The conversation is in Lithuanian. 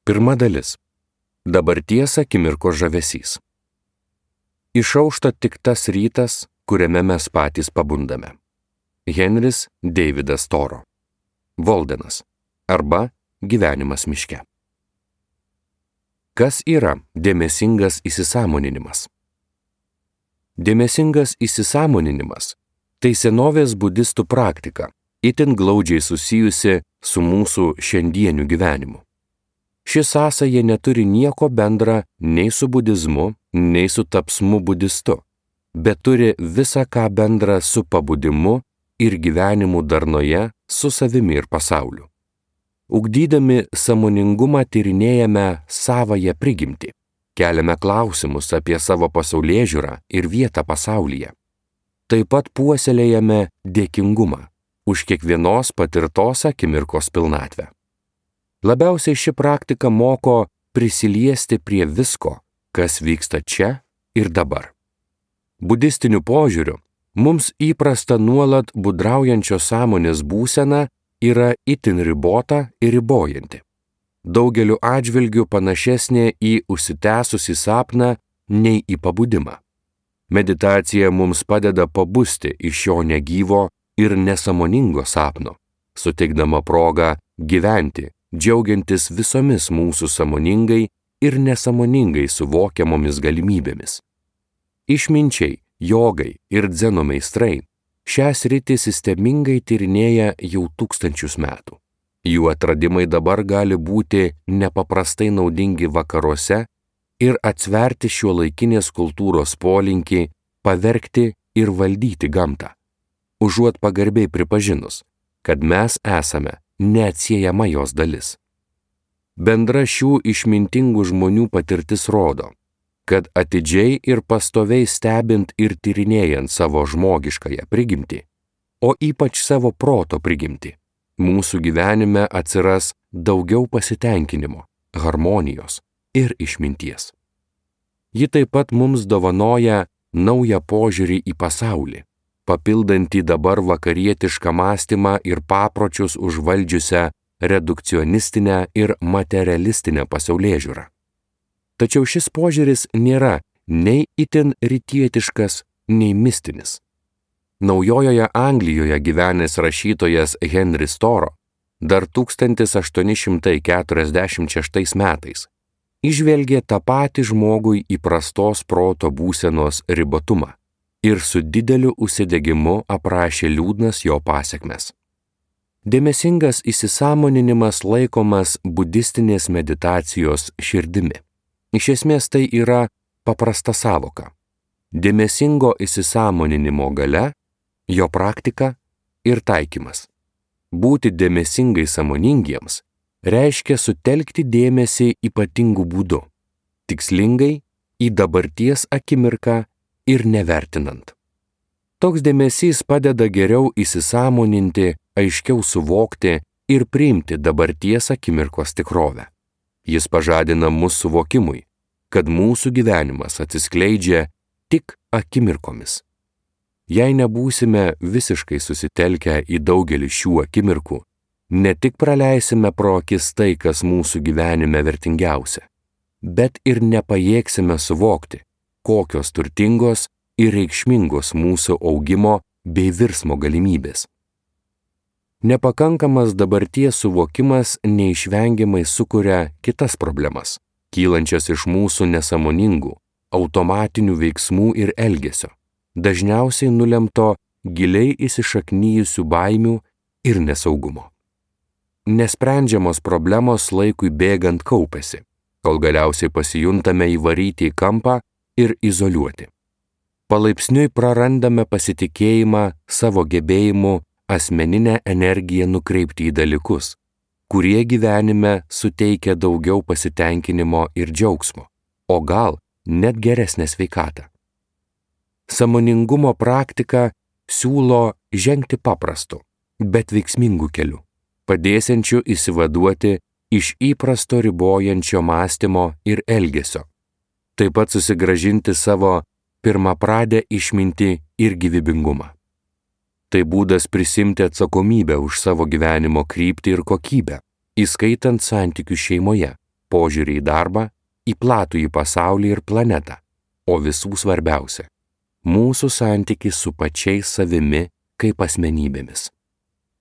Pirma dalis. Dabarties akimirkos žavesys. Išaušta tik tas rytas, kuriame mes patys pabundame. Henris Davidas Toro. Voldenas arba Gyvenimas miške. Kas yra dėmesingas įsisąmoninimas? Dėmesingas įsisąmoninimas – tai senovės budistų praktika, itin glaudžiai susijusi su mūsų šiandieniu gyvenimu. Ši sąsaja neturi nieko bendra nei su budizmu, nei su tapsmu budistu, bet turi visą ką bendra su pabudimu ir gyvenimu darnoje su savimi ir pasauliu. Ugdydami sąmoningumą tyrinėjame savąją prigimtį, keliame klausimus apie savo pasaulėžiūrą ir vietą pasaulyje. Taip pat puoselėjame dėkingumą už kiekvienos patirtos akimirkos pilnatvę. Labiausiai ši praktika moko prisiliesti prie visko, kas vyksta čia ir dabar. Budistiniu požiūriu, mums įprasta nuolat budraujančios sąmonės būsena yra itin ribota ir ribojanti. Daugeliu atžvilgių panašesnė į užsitęsusį sapną nei į pabudimą. Meditacija mums padeda pabusti iš šio negyvo ir nesąmoningo sapno, suteikdama progą gyventi, džiaugiantis visomis mūsų sąmoningai ir nesąmoningai suvokiamomis galimybėmis. Išminčiai, jogai ir dzeno meistrai šią sritį sistemingai tyrinėja jau tūkstančius metų. Jų atradimai dabar gali būti nepaprastai naudingi vakaruose ir atsverti šiuolaikinės kultūros polinkį pavergti ir valdyti gamtą, užuot pagarbiai pripažinus, kad mes esame neatsiejama jos dalis. Bendra šių išmintingų žmonių patirtis rodo, kad atidžiai ir pastoviai stebint ir tyrinėjant savo žmogiškąją prigimtį, o ypač savo proto prigimtį, mūsų gyvenime atsiras daugiau pasitenkinimo, harmonijos ir išminties. Ji taip pat mums dovanoja naują požiūrį į pasaulį, papildantį dabar vakarietišką mąstymą ir papročius užvaldžiusią redukcionistinę ir materialistinę pasaulėžiūrą. Tačiau šis požiūris nėra nei itin rytietiškas, nei mistinis. Naujojoje Anglijoje gyvenęs rašytojas Henris Toro dar 1846 metais įžvelgė tą patį žmogui įprastos proto būsenos ribotumą ir su dideliu užsidegimu aprašė liūdnas jo pasekmes. Dėmesingas įsisąmoninimas laikomas budistinės meditacijos širdimi. Iš esmės tai yra paprasta sąvoka. Dėmesingo įsisąmoninimo galia, jo praktika ir taikymas. Būti dėmesingai sąmoningiems reiškia sutelkti dėmesį ypatingų būdų, tikslingai į dabarties akimirką ir nevertinant. Toks dėmesys padeda geriau įsisąmoninti, aiškiau suvokti ir priimti dabarties akimirkos tikrovę. Jis pažadina mūsų suvokimui, kad mūsų gyvenimas atsiskleidžia tik akimirkomis. Jei nebūsime visiškai susitelkę į daugelį šių akimirkų, ne tik praleisime pro akis tai, kas mūsų gyvenime vertingiausia, bet ir nepajėgsime suvokti, kokios turtingos ir reikšmingos mūsų augimo bei virsmo galimybės. Nepakankamas dabarties suvokimas neišvengiamai sukuria kitas problemas, kylančias iš mūsų nesąmoningų, automatinių veiksmų ir elgesio, dažniausiai nulemto giliai įsišaknyjusių baimių ir nesaugumo. Nesprendžiamos problemos laikui bėgant kaupiasi, kol galiausiai pasijuntame įvaryti į kampą ir izoliuoti. Palaipsniui prarandame pasitikėjimą savo gebėjimu asmeninę energiją nukreipti į dalykus, kurie gyvenime suteikia daugiau pasitenkinimo ir džiaugsmo, o gal net geresnę sveikatą. Sąmoningumo praktika siūlo žengti paprastu, bet veiksmingu keliu, padėsiančiu išsivaduoti iš įprasto ribojančio mąstymo ir elgesio, taip pat susigrąžinti savo pirmapradę išmintį ir gyvybingumą. Tai būdas prisimti atsakomybę už savo gyvenimo kryptį ir kokybę, įskaitant santykių šeimoje, požiūrį į darbą, į platųjį pasaulį ir planetą, o visų svarbiausia – mūsų santykį su pačiais savimi kaip asmenybėmis.